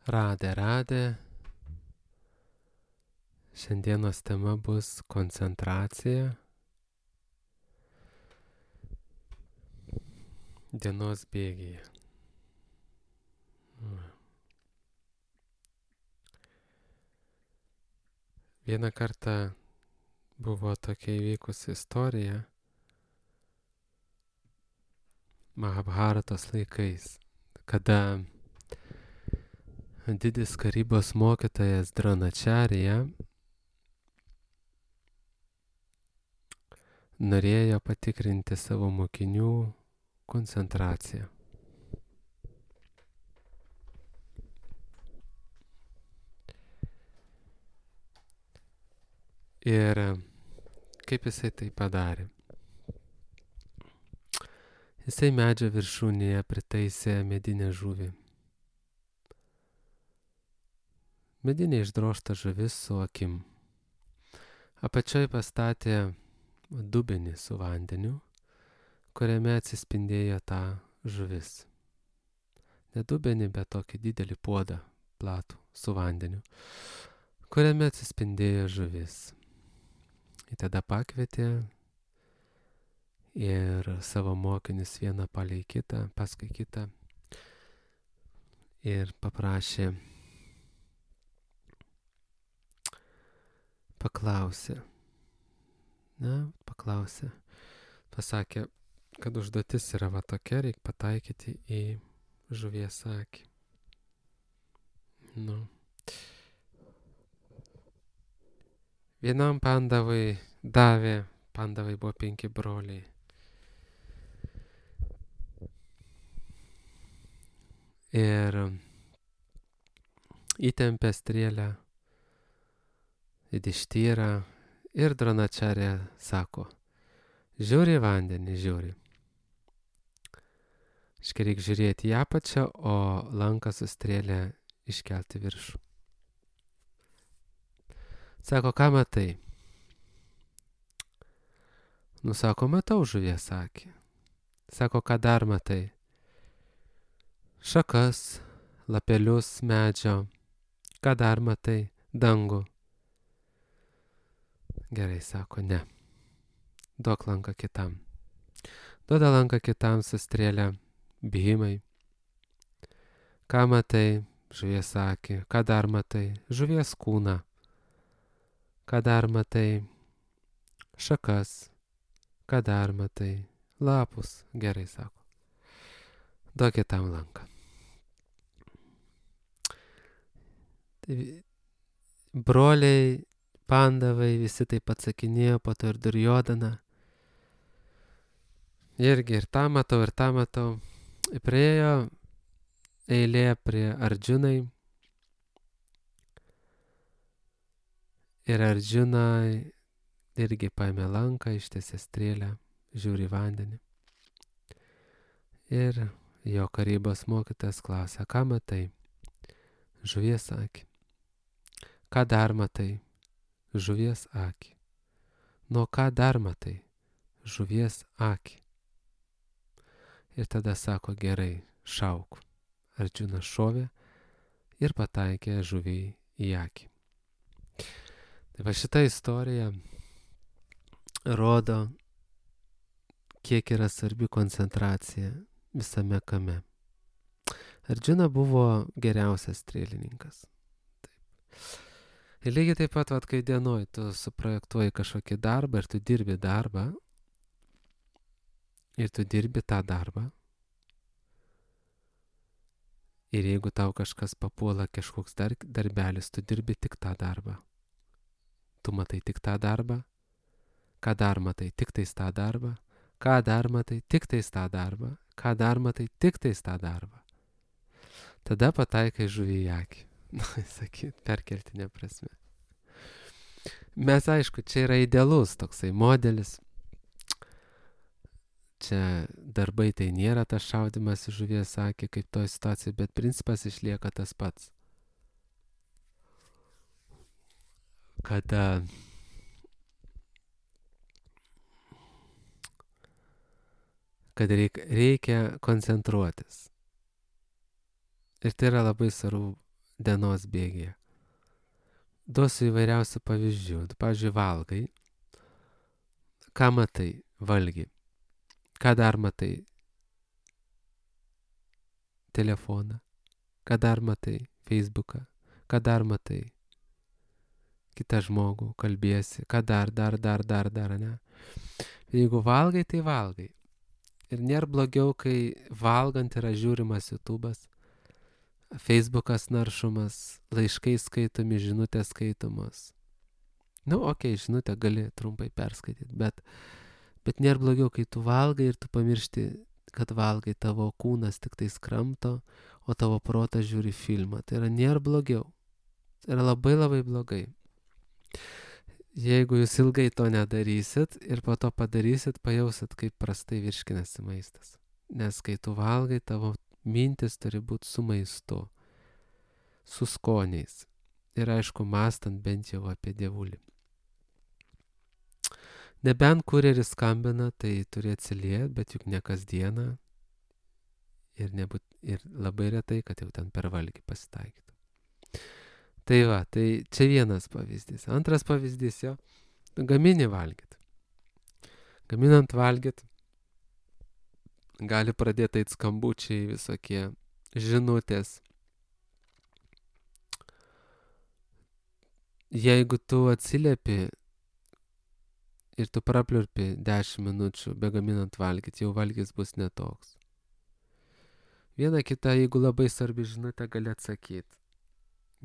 Radė. Šiandienos tema bus koncentracija dienos bėgyje. Vieną kartą buvo tokia įvykusi istorija Mahabharatos laikais, kada didis karybos mokytojas Dranačarija norėjo patikrinti savo mokinių koncentraciją. Ir kaip jisai tai padarė? Jisai medžio viršūnėje pritaisė medinę žuvį. Medinė išdrožta žuvis su akim. Apačioj pastatė dubenį su vandeniu, kuriame atsispindėjo ta žuvis. Ne dubenį, bet tokį didelį puodą platų su vandeniu, kuriame atsispindėjo žuvis. Ir tada pakvietė ir savo mokinius vieną palei kitą, paskui kitą ir paprašė, paklausė, pasakė, kad užduotis yra va tokia, reikia pataikyti į žuvies akį. Vienam pandavai davė, pandavai buvo 5 broliai. Ir įtempė strėlę į dištyrą ir Dranačarija sako, žiūri vandenį, žiūri. Reikia žiūrėti į apačią, o lanką su strėlė iškelti viršų. Sako, ką matai? Sako, matau žuvies akį. Sako, ką dar matai? Šakas, lapelius medžio. Ką dar matai? Dangų. Gerai, sako, ne. Duok lanką kitam. Duoda lanką kitam su strėlė. Bhimai. Ką matai? Žuvies akį. Ką dar matai? Žuvies kūną. Ką dar matai? Šakas. Ką dar matai? Lapus. Gerai, sako. Duok kitam lanką. Broliai, pandavai, visi taip atsakinėjo, po to ir Duryodhana. Irgi ir tą matau. Priėjo eilė prie Arjunai. Ir Arjunai irgi paėmė lanką, ištiesė strėlę, žiūri vandenį. Ir jo karybos mokytojas klausia, ką matai? Žuvies akį. Ką dar matai? Žuvies akį. Ką dar matai? Žuvies akį. Ir tada sako, gerai, šauk. Arjuna šovė ir pataikė žuvį į akį. Tai va šita istorija rodo, kiek yra svarbi koncentracija visame kame. Arjuna buvo geriausias strėlininkas. Taip. Ir lygiai taip pat, kai dienoj tu suprojektuoji kažkokį darbą ir tu dirbi darbą, ir tu dirbi tą darbą, ir jeigu tau kažkas papuola kažkoks darbelis, tu dirbi tik tą darbą. Tu matai tik tą darbą, ką dar matai, tik tais tą darbą, ką dar matai, tik tais tą darbą, ką dar matai, tik tais tą darbą. Tada pataikai žuvį į akį. Sakyt, perkeltinė prasme. Mes, aišku, čia yra idealus toksai modelis. Čia darbai tai nėra tas šaudimas į žuvies akį kaip toj situacijai, bet principas išlieka tas pats. Kada reikia koncentruotis. Ir tai yra labai svarbu dienos bėgėje. Duosiu įvairiausių pavyzdžių. Pavyzdžiui, valgai. Ką matai? Valgy. Ką dar matai? Telefoną. Ką dar matai? Facebooką. Ką dar matai? Kitą žmogų, kalbėsi. Ką dar, ne? Jeigu valgai, tai valgai. Ir nėra blogiau, kai valgant yra žiūrimas YouTube'as, Facebookas naršomas, laiškai skaitomi, žinutės skaitomos. Žinutę gali trumpai perskaityti, bet nėra blogiau, kai tu valgai ir tu pamiršti, kad valgai, tavo kūnas tik tai skramto, o tavo protas žiūri filmą. Tai yra nėra blogiau. Tai yra labai labai blogai. Jeigu jūs ilgai to nedarysit ir po to padarysit, pajausit, kaip prastai virškinasi maistas. Nes kai tu valgai, tavo mintis turi būti su maistu, su skoniais. Ir aišku, mąstant bent jau apie dievulį. Nebent kurjeris skambina, tai turi atsiliepti, bet juk ne kasdieną ir labai retai, kad jau ten per valgį pasitaikytų. Tai va, tai čia vienas pavyzdys. Antras pavyzdys, gamini valgyt. Gaminant valgyt, gali pradėti eit skambučiai visokie, žinutės. Jeigu tu atsiliepi ir tu prapliurpi 10 minučių begaminant valgyt, jau valgys bus netoks. Viena kita, jeigu labai svarbi žinutė, gali atsakyti.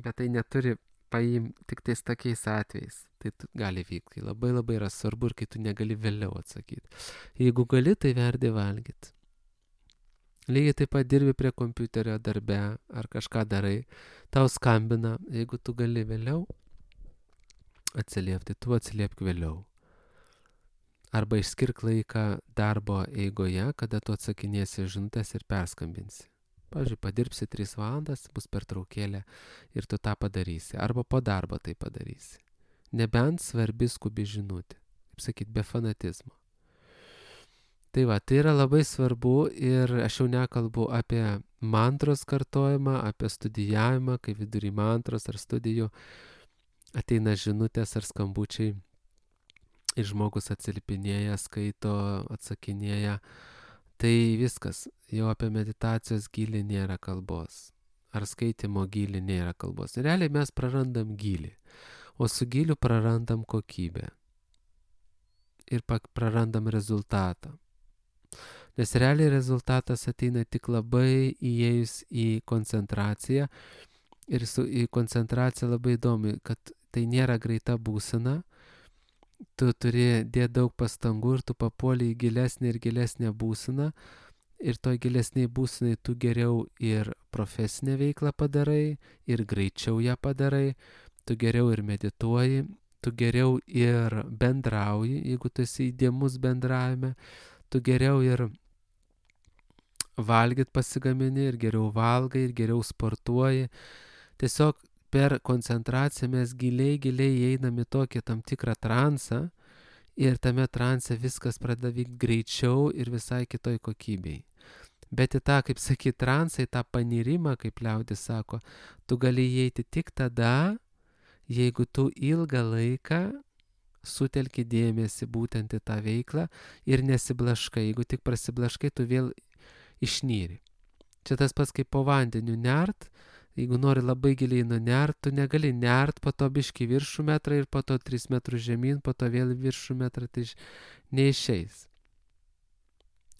Bet tai neturi paimti tik tais tokiais atvejais. Tai gali vykti, kai labai labai yra svarbu ir kai tu negali vėliau atsakyti. Jeigu gali, tai verdi valgyti. Lygiai taip pat dirbi prie kompiuterio darbe ar kažką darai, tau skambina, jeigu tu gali vėliau atsiliepti, tu atsiliepk vėliau. Arba išskirk laiką darbo eigoje, kada tu atsakinėsi žinutės ir perskambinsi. Pavyzdžiui, padirbsi 3 valandas, bus pertraukėlė ir tu tą padarysi. Arba po darbo tai padarysi. Nebent svarbi skubi žinutė. Kaip sakyt, be fanatizmo. Tai va, tai yra labai svarbu ir aš jau nekalbu apie mantros kartojimą, apie studijavimą, kai vidury mantros ar studijų ateina žinutės ar skambučiai ir žmogus atsilipinėja, skaito, atsakinėja. Tai viskas, jau apie meditacijos gylį nėra kalbos, ar skaitimo gylį nėra kalbos. Realiai mes prarandam gylį, o su gyliu prarandam kokybę ir prarandam rezultatą. Nes realiai rezultatas ateina tik labai įėjus į koncentraciją ir į koncentraciją labai įdomi, kad tai nėra greita būsena. Tu turi dėti daug pastangų ir tu papuoli į gilesnį ir gilesnę būseną ir toj gilesniai būsenai tu geriau ir profesinę veiklą padarai ir greičiau ją padarai, tu geriau ir medituoji, tu geriau ir bendrauji, jeigu tu esi įdėmus bendravime, tu geriau ir valgyt pasigamini ir geriau valgai ir geriau sportuoji. Tiesiog per koncentraciją mes giliai įeinam į tokį tam tikrą transą ir tame transe viskas pradeda vykti greičiau ir visai kitoj kokybei. Bet į tą, kaip sakyt, transą, į tą panirimą, kaip liaudis sako, tu gali įeiti tik tada, jeigu tu ilgą laiką sutelki dėmesį būtent į tą veiklą ir nesiblaškai. Jeigu tik prasiblaškai, tu vėl išnyri. Čia tas pats kaip po vandeniu nert. Jeigu nori labai giliai nunert, tu negali nert, po to biškį viršų metrą ir po to 3 metrus žemyn, po to vėl viršų metrą, tai neišeis.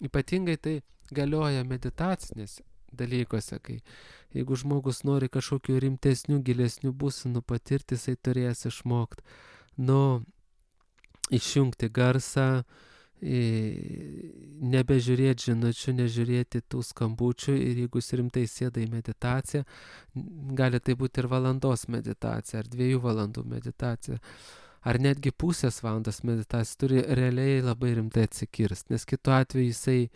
Ypatingai tai galioja meditacinėse dalykuose, kai jeigu žmogus nori kažkokių rimtesnių, gilesnių būsenų patirti, jisai turės išmokti, išjungti garsą, nebežiūrėti žinučių, nežiūrėti tų skambučių ir jeigu jis rimtai sėda į meditaciją, gali tai būti ir valandos meditacija, ar 2 valandų meditacija, ar netgi pusės valandos meditacija, turi realiai labai rimtai atsikirst, nes kitu atveju jisai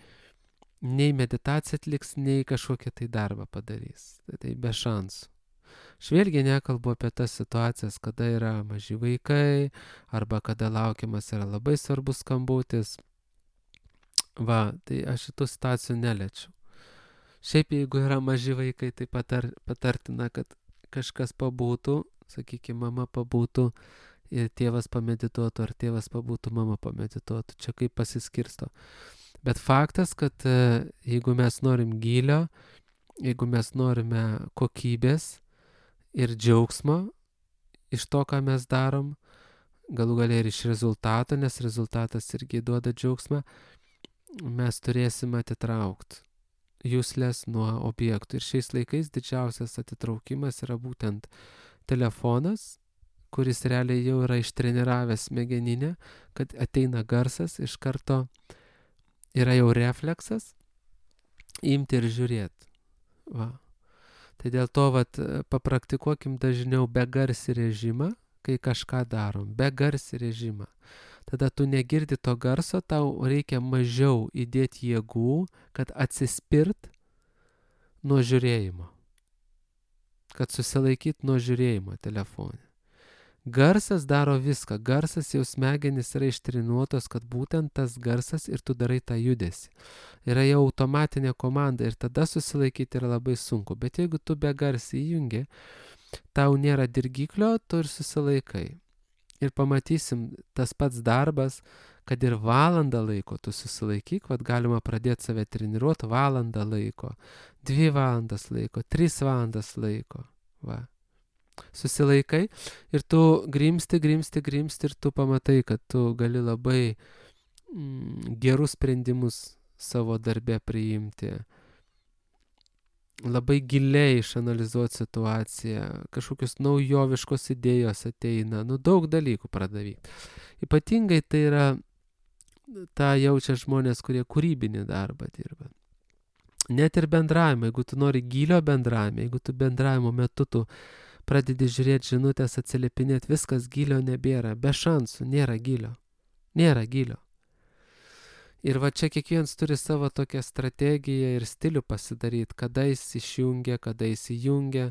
nei meditaciją atliks, nei kažkokią tai darbą padarys. Tai be šansų. Aš vėlgi nekalbu apie tas situacijas, kada yra maži vaikai, arba kada laukiamas yra labai svarbus skambutis. Va, tai aš šitų situacijų neliečiu. Šiaip jeigu yra maži vaikai, tai patartina, kad kažkas pabūtų, sakykime, mama pabūtų ir tėvas pamedituotų, ar tėvas pabūtų, mama pamedituotų. Čia kaip pasiskirsto. Bet faktas, kad jeigu mes norim gylio, jeigu mes norime kokybės ir džiaugsmo iš to, ką mes darom, galų galia ir iš rezultato, nes rezultatas irgi duoda džiaugsmą, mes turėsim atitraukti juslės nuo objektų. Ir šiais laikais didžiausias atitraukimas yra būtent telefonas, kuris realiai jau yra ištreniravęs smegeninę, kad ateina garsas, iš karto yra jau refleksas, imti ir žiūrėti. Va. Tai dėl to papraktikuokim dažniau begarsį režimą, kai kažką darom, begarsį režimą. Tada tu negirdi to garso, tau reikia mažiau įdėti jėgų, kad atsispirt nuo žiūrėjimo. Kad susilaikyt nuo žiūrėjimo telefone. Garsas daro viską. Garsas jau smegenys yra ištreniruotos, kad būtent tas garsas ir tu darai tą judesį. Yra jau automatinė komanda ir tada susilaikyti yra labai sunku. Bet jeigu tu begarsį įjungi, tau nėra dirgiklio, tu ir susilaikai. Ir pamatysim tas pats darbas, kad ir valandą laiko tu susilaikyk, galima pradėti save treniruoti valandą laiko, 2 valandas laiko, 3 valandas laiko. Va. Susilaikai ir tu grimsti ir tu pamatai, kad tu gali labai gerus sprendimus savo darbe priimti. Labai giliai išanalizuoti situaciją, kažkokios naujoviškos idėjos ateina, daug dalykų pradavyti. Ypatingai tai yra, tą jaučia žmonės, kurie kūrybinį darbą dirba. Net ir bendravimą, jeigu tu nori gilio bendravimą, jeigu tu bendravimo metu tu pradedi žiūrėti žinutės, atsiliepinėti, viskas gilio nebėra, be šansų, nėra gilio. Ir čia kiekvienas turi savo tokią strategiją ir stilių pasidaryti, kada jis išjungia, kada jis įjungia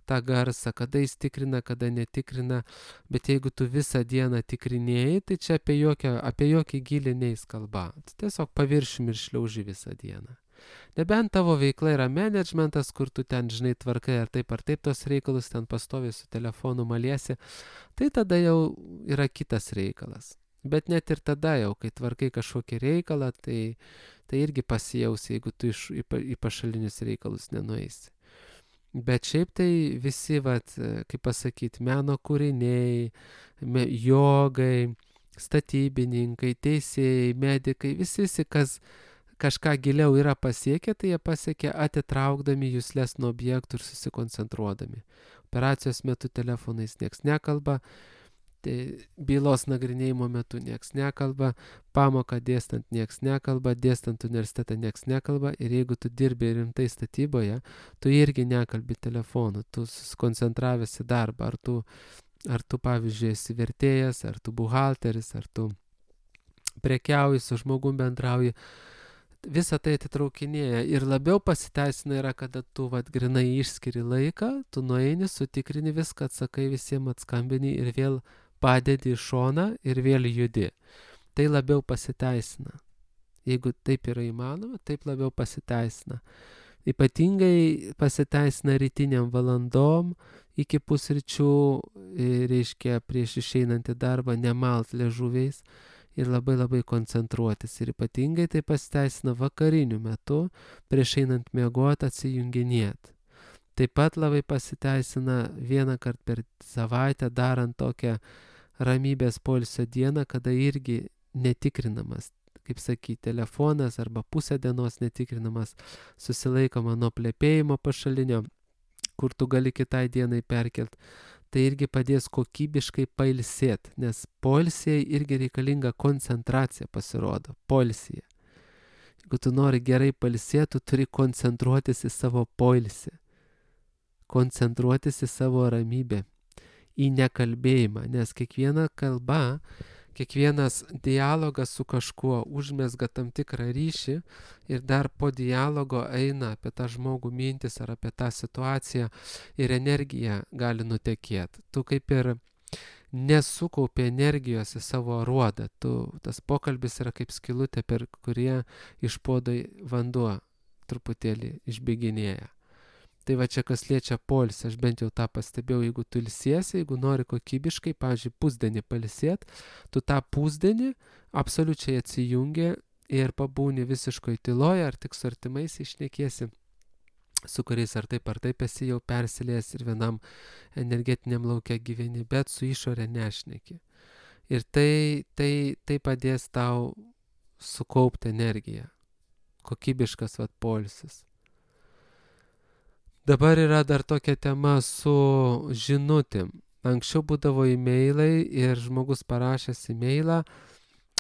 tą garsą, kada jis tikrina, kada netikrina. Bet jeigu tu visą dieną tikrinėjai, tai čia apie jokį gilį neis kalba. Tiesiog paviršium ir šliauži visą dieną. Nebent tavo veikla yra managementas, kur tu ten, žinai, tvarkai ar taip tos reikalus, ten pastoviai su telefonu maliesi, tai tada jau yra kitas reikalas. Bet net ir tada jau, kai tvarkai kažkokį reikalą, tai irgi pasijausi, jeigu tu į pašalinius reikalus nenueisi. Bet šiaip tai visi, kaip pasakyti, meno kūriniai, jogai, statybininkai, teisėjai, medikai, visi, kas kažką giliau yra pasiekę, tai jie pasiekia atitraukdami juslės nuo objektų ir susikoncentruodami. Operacijos metu telefonais nieks nekalba, bylos nagrinėjimo metu nieks nekalba, pamoką dėstant nieks nekalba, dėstant universitetą nieks nekalba ir jeigu tu dirbi rimtai statyboje, tu irgi nekalbi telefonu, tu susikoncentravęs į darbą, ar tu pavyzdžiui esi vertėjas, ar tu buhalteris, ar tu prekiauji su žmogum bendrauji, visą tai atitraukinėja ir labiau pasiteisina yra, kada tu grinai išskiri laiką, tu nueini, sutikrini viską, atsakai visiems, atskambini ir vėl padedi į šoną ir vėl judi. Tai labiau pasiteisina. Jeigu taip yra įmanoma, taip labiau pasiteisina. Ypatingai pasiteisina rytiniam valandom, iki pusryčių, reiškia prieš išeinant į darbą, nemalt liežuviais ir labai koncentruotis. Ir ypatingai tai pasiteisina vakariniu metu, prieš einant miegoti atsijunginėti. Taip pat labai pasiteisina vieną kartą per savaitę darant tokią ramybės poilsio dieną, kada irgi netikrinamas, kaip sakyti, telefonas arba pusę dienos netikrinamas, susilaikoma nuo plepėjimo pašalinio, kur tu gali kitai dienai perkelti. Tai irgi padės kokybiškai pailsėti, nes poilsėje irgi reikalinga koncentracija pasirodo, poilsėje. Jeigu tu nori gerai pailsėti, tu turi koncentruotis į savo poilsį, koncentruotis į savo ramybę, į nekalbėjimą, nes kiekviena kalba, kiekvienas dialogas su kažkuo užmezga tam tikrą ryšį ir dar po dialogo eina apie tą žmogų mintis ar apie tą situaciją ir energija gali nutekėti. Tu kaip ir nesukaupi energijos į savo aruodą, tas pokalbis yra kaip skylutė, per kurie iš puodo vanduo truputėlį išbėginėja. Tai va čia kas liečia poilsį, aš bent jau tą pastebėjau, jeigu tu ilsiesi, jeigu nori kokybiškai, pavyzdžiui, pusdienį pailsėt, tu tą pusdienį absoliučiai atsijungi ir pabūni visiškoj tyloje, ar tik su artimais išnekiesi, su kuriais ar taip esi jau persilėjęs ir vienam energetiniam laukia gyveni, bet su išorė nešneki. Ir tai padės tau sukaupti energiją. Kokybiškas poilsis. Dabar yra dar tokia tema su žinutėm. Anksčiau būdavo e-mailai ir žmogus parašęs e-mailą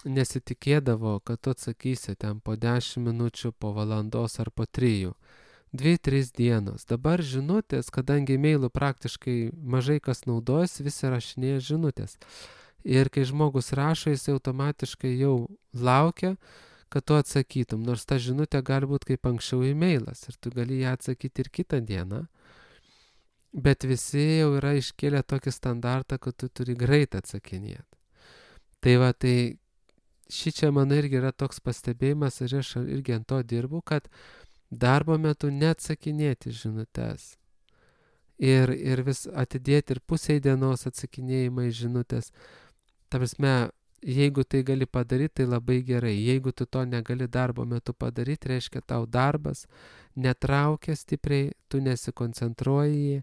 nesitikėdavo, kad tu atsakysi ten po 10 minučių, po valandos ar po 3. 2-3 dienos. Dabar žinutės, kadangi e-mailų praktiškai mažai kas naudojasi, visi rašinėja žinutės. Ir kai žmogus rašo, jis automatiškai jau laukia, kad tu atsakytum, nors ta žinutė gali būti kaip anksčiau e-mailas ir tu gali ją atsakyti ir kitą dieną, bet visi jau yra iškėlę tokį standartą, kad tu turi greit atsakinėti. Tai va, tai šičia man irgi yra toks pastebėjimas ir aš irgi ant to dirbu, kad darbo metu neatsakinėti žinutės ir vis atidėti ir pusei dienos atsakinėjimai žinutės. Ta prasme, jeigu tai gali padaryti, tai labai gerai. Jeigu tu to negali darbo metu padaryti, reiškia tau darbas netraukia stipriai, tu nesikoncentruoji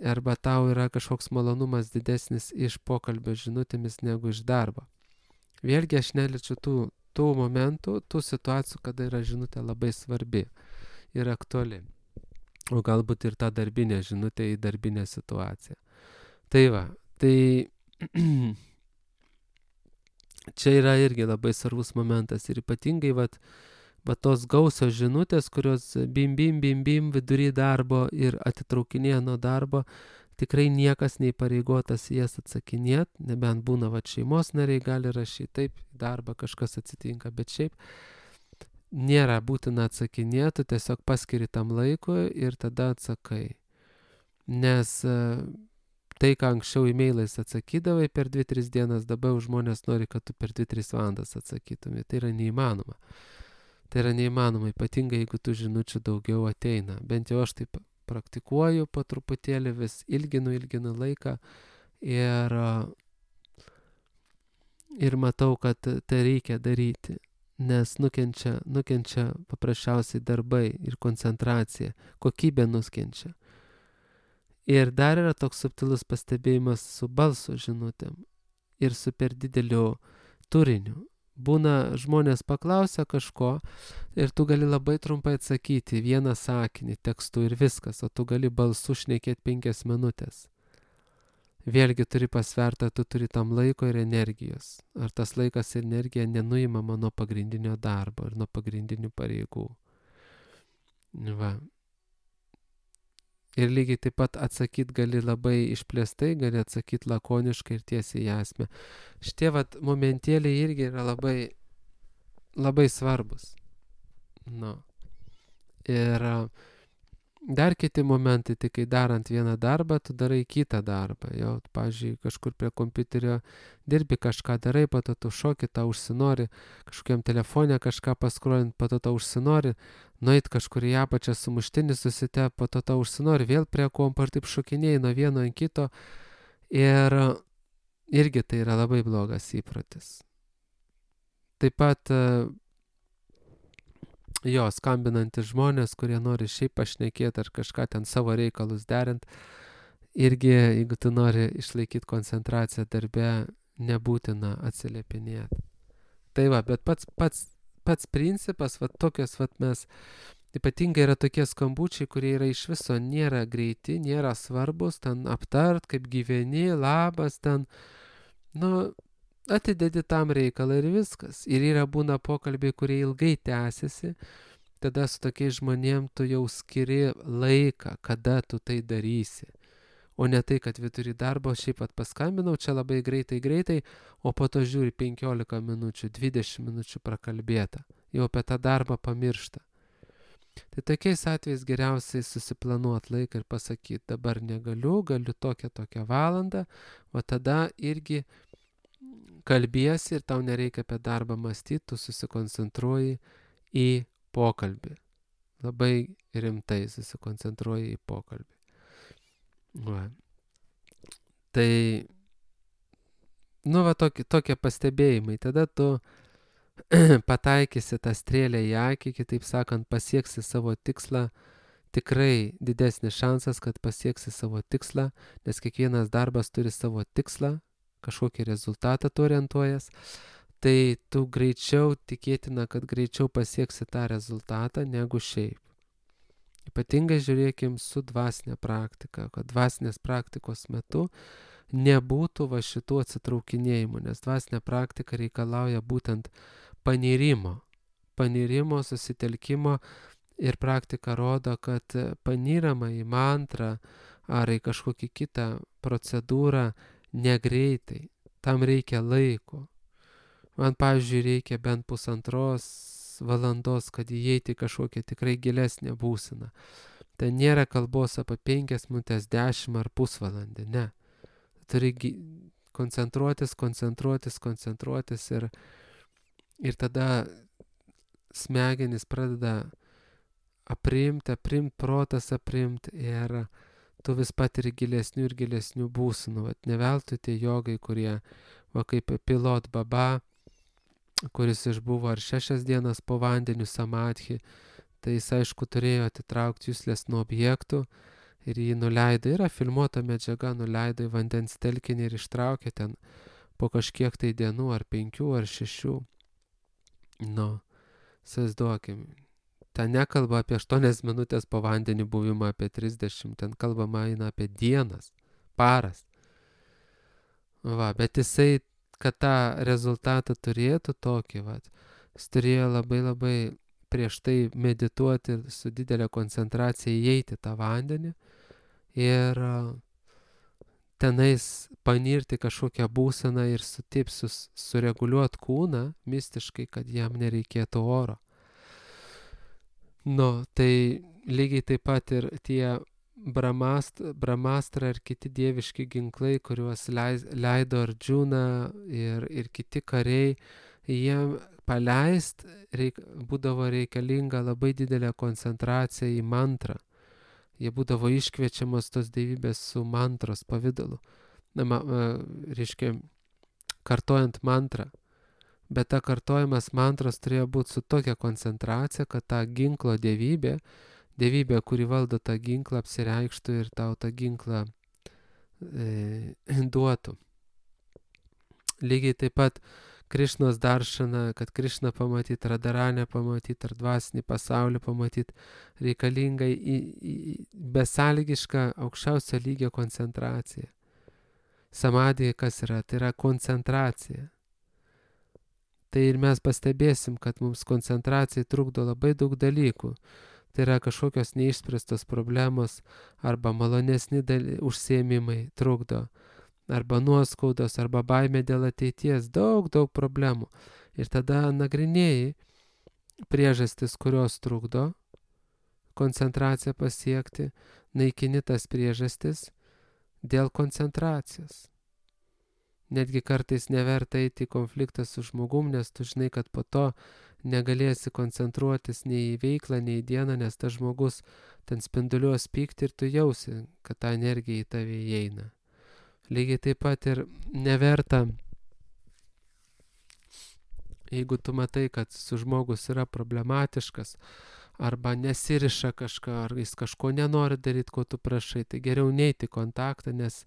arba tau yra kažkoks malonumas didesnis iš pokalbio žinutėmis negu iš darbo. Vėlgi aš neliečiu tų momentų, tų situacijų, kada yra žinutė labai svarbi ir aktuali. O galbūt ir ta darbinė žinutė į darbinę situaciją. Tai va, tai čia yra irgi labai svarbus momentas ir ypatingai va tos gausios žinutės, kurios bim vidury darbo ir atitraukinėja nuo darbo, tikrai niekas neįpareigotas jas atsakinėt, nebent būna šeimos nariai gali rašyti, taip, darbą kažkas atsitinka, bet šiaip nėra būtina atsakinėti, tiesiog paskiri tam laikui ir tada atsakai. Nes tai, ką anksčiau e-mailais atsakydavai per 2-3 dienas, dabar žmonės nori, kad tu per 2-3 valandas atsakytumai. Tai yra neįmanoma. Tai yra neįmanoma, ypatingai jeigu tų žinučių daugiau ateina. Bent jau aš taip praktikuoju po truputėlį, vis ilginu laiką ir matau, kad tai reikia daryti, nes nukenčia paprasčiausiai darbai ir koncentracija, kokybė nukenčia. Ir dar yra toks subtilus pastebėjimas su balso žinutėm ir su per dideliu turiniu. Būna žmonės paklausia kažko ir tu gali labai trumpai atsakyti vieną sakinį tekstu ir viskas, o tu gali balsu šnekėti 5 minutės. Vėlgi turi pasvertą, tu turi tam laiko ir energijos. Ar tas laikas ir energija nenuimama nuo pagrindinio darbo ir nuo pagrindinių pareigų. Va. Ir lygiai taip pat atsakyti gali labai išplėstai, gali atsakyti lakoniškai ir tiesiai į esmę. Šitie momentėliai irgi yra labai svarbus. Nu. Ir dar kiti momentai, tai kai darant vieną darbą, tu darai kitą darbą. Jau, pavyzdžiui, kažkur prie kompiuterio dirbi, kažką darai, po to tu šoki, tau užsinori, kažkokiam telefone kažką paskrolint, po to tau užsinori, nueit kažkur į apačią sumuštinį susitep, po to tau užsinori vėl prie kompo ir taip šokinėjai nuo vieno ant kito. Ir irgi tai yra labai blogas įprotis. Taip pat skambinantys žmonės, kurie nori šiaip pašnekėti ar kažką ten savo reikalus derint, irgi, jeigu tu nori išlaikyti koncentraciją darbe, nebūtina atsiliepinėti. Tai va, bet pats principas, tokios mes, ypatingai yra tokie skambučiai, kurie yra iš viso nėra greiti, nėra svarbus, ten aptart, kaip gyveni, labas, ten, atidedi tam reikalą ir viskas. Ir yra būna pokalbiai, kurie ilgai tęsiasi, tada su tokiais žmonėm tu jau skiri laiką, kada tu tai darysi. O ne tai, kad vidury darbo šiaip paskambinau, čia labai greitai, o po to žiūri 15 minučių, 20 minučių prakalbėta. Jau apie tą darbą pamiršta. Tai tokiais atvejais geriausiai susiplanuoti laiką ir pasakyti, dabar negaliu, galiu tokią valandą, o tada irgi kalbiesi ir tau nereikia apie darbą mąstyti, tu susikoncentruoji į pokalbį. Labai rimtai susikoncentruoji į pokalbį. Va. Tai, tokie pastebėjimai. Tada tu pataikysi tą strėlę į akį, kitaip sakant, pasieksi savo tikslą. Tikrai didesnis šansas, kad pasieksi savo tikslą, nes kiekvienas darbas turi savo tikslą, kažkokį rezultatą tu orientuojas. Tai tu greičiau, tikėtina, kad greičiau pasieksi tą rezultatą negu šiaip. Ypatingai žiūrėkim su dvasinė praktika, kad dvasinės praktikos metu nebūtų va šitų atsitraukinėjimų, nes dvasinė praktika reikalauja būtent panirimo, susitelkimo ir praktika rodo, kad panyrama į mantrą ar į kažkokį kitą procedūrą negreitai, tam reikia laiko. Man, pavyzdžiui, reikia bent 1,5 valandos, kad įeiti kažkokią tikrai gilesnę būseną. Tai nėra kalbos apie 5 minutės, 10 ar pusvalandį, ne. Turi koncentruotis ir tada smegenys pradeda aprimt protas aprimt ir tu vis patiri gilesnių ir gilesnių būsenų. Vat ne veltui tie jogai, kurie, va kaip Pilot Baba, kuris išbuvo ar 6 dienas po vandeniu samadhi, tai jis aišku turėjo atitraukti juslės nuo objektų ir jį nuleido, yra filmuota medžiaga, nuleido į vandens telkinį ir ištraukė ten po kažkiek tai dienų, ar 5 ar 6. Įsivaizduokim, ten nekalba apie 8 minutės po vandeniu buvimą, apie 30, ten kalbama eina apie dienas, paras. Va, bet jisai, kad tą rezultatą turėtų tokį, jis turėjo labai prieš tai medituoti su didelė koncentracija, įeiti tą vandenį ir tenais panirti kažkokią būseną ir sureguliuoti kūną mistiškai, kad jam nereikėtų oro. Tai lygiai taip pat ir tie Brahmastra ir kiti dieviški ginklai, kuriuos leido Arjuna ir kiti kariai, jiem paleist būdavo reikalinga labai didelė koncentracija į mantrą. Jie būdavo iškviečiamas tos dievybės su mantros pavidalu. Reiškia, kartojant mantrą. Bet ta kartojimas mantros turėjo būti su tokia koncentracija, kad ta ginklo dievybė, kuri valdo tą ginklą, apsireikštų ir tau tą ginklą duotų. Lygiai taip pat Krišnos daršana, kad Krišną pamatyti, Radharanę pamatyti, ar dvasinį pasaulį pamatyti, reikalinga besąlygiška aukščiausio lygio koncentracija. Samadhi kas yra? Tai yra koncentracija. Tai ir mes pastebėsim, kad mums koncentracijai trukdo labai daug dalykų. Tai yra kažkokios neišspręstos problemos arba malonesni užsiėmimai trukdo, arba nuoskaudos, arba baimė dėl ateities, daug problemų. Ir tada nagrinėjai priežastis, kurios trukdo koncentraciją pasiekti, naikini tas priežastis dėl koncentracijos. Netgi kartais neverta eiti į konfliktą su žmogum, nes tu žinai, kad po to negalėsi koncentruotis nei į veiklą, nei į dieną, nes tas žmogus ten spinduliuos pyktį ir tu jausi, kad ta energija į tave įeina. Lygiai taip pat ir neverta, jeigu tu matai, kad su žmogus yra problematiškas, arba nesiriša kažką, ar jis kažko nenori daryti, ko tu prašai, tai geriau neiti į kontaktą, nes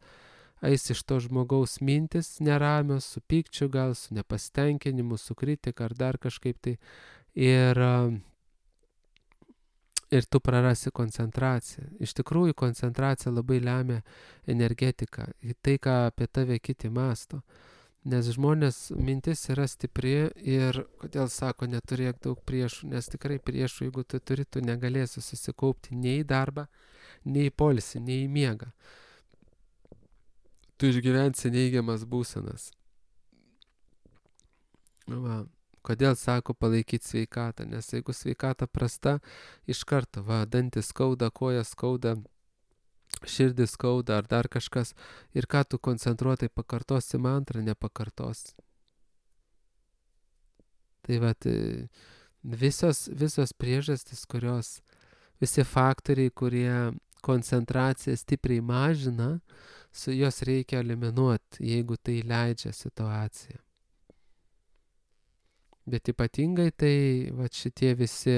eis iš to žmogaus mintis neramios, su pykčiu gal, su nepasitenkinimu, su kritika ar dar kažkaip tai. Ir tu prarasi koncentraciją. Iš tikrųjų, koncentracija labai lemia energetiką, tai, ką apie tave kiti mąsto. Nes žmonės mintis yra stipri ir, kodėl sako, neturėk daug priešų, nes tikrai priešų, jeigu tu turi, tu negalėsi susikaupti nei į darbą, nei į poilsį, nei į miegą. Tu išgyvensi neigiamas būsenas. Kodėl sako palaikyti sveikatą? Nes jeigu sveikata prasta, iš karto, dantis skauda, koja skauda, širdis skauda ar dar kažkas. Ir ką tu koncentruotai pakartosi mantrą, nepakartosi. Tai visos priežastis, kurios visi faktoriai, kurie koncentraciją stipriai mažina, juos reikia eliminuoti, jeigu tai leidžia situacija. Bet ypatingai tai šitie visi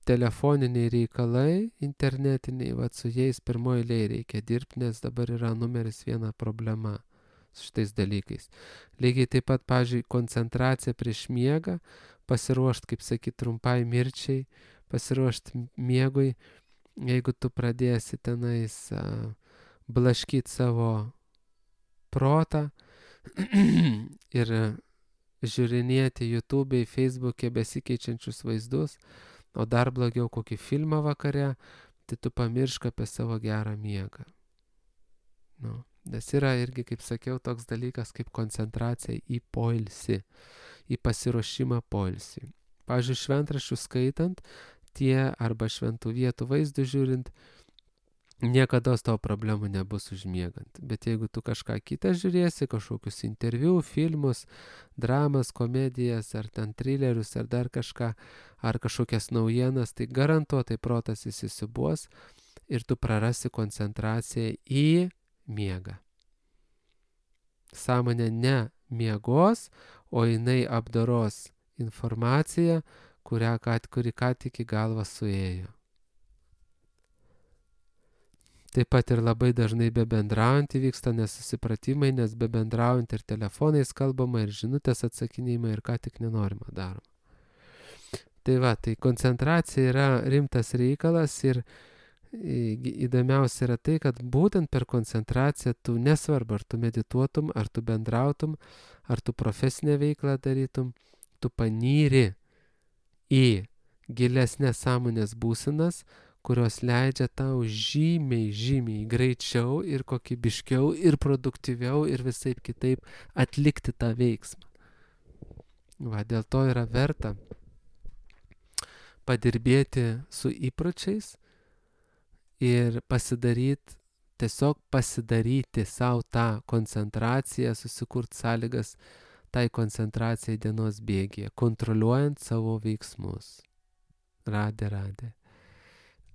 telefoniniai reikalai, internetiniai, su jais pirmoji eilėje reikia dirbti, nes dabar yra numeris 1 problema su šitais dalykais. Lygiai taip pat, pavyzdžiui, koncentracija prieš miegą, pasiruošti, kaip sakyt, trumpai mirčiai, pasiruošti miegui, jeigu tu pradėsi tenais blaškyti savo protą ir žiūrinėti YouTube'e, Facebook'e besikeičiančius vaizdus, o dar blogiau kokį filmą vakare, tai tu pamiršk apie savo gerą miegą. Nes yra irgi, kaip sakiau, toks dalykas kaip koncentracija į poilsį, į pasiruošimą poilsį. Pavyzdžiui, šventraščius skaitant, arba šventų vietų vaizdų žiūrint, niekada tavo problemų nebus užmiegant. Bet jeigu tu kažką kitą žiūrėsi, kažkokius interviu, filmus, dramas, komedijas, ar ten trilerius, ar dar kažką, ar kažkokias naujienas, tai garantuotai protas įsisiūbuos ir tu prarasi koncentraciją į miegą. Sąmonė ne miegos, o jinai apdoros informaciją, kuri ką tik į galvą suėjo. Taip pat ir labai dažnai bebendraujant įvyksta nesusipratimai, nes bebendraujant ir telefonais kalbama, ir žinutės atsakinėjimai, ir ką tik nenorima daroma. Tai koncentracija yra rimtas reikalas ir įdomiausia yra tai, kad būtent per koncentraciją tu nesvarbu, ar tu medituotum, ar tu bendrautum, ar tu profesinę veiklą darytum, tu panyri į gilesnės sąmonės būsenas, kurios leidžia tau žymiai greičiau ir kokybiškiau ir produktyviau ir visaip kitaip atlikti tą veiksmą. Dėl to yra verta padirbėti su įpročiais ir tiesiog pasidaryti savo tą koncentraciją, susikurti sąlygas tai koncentracijai dienos bėgyje, kontroliuojant savo veiksmus. Radė.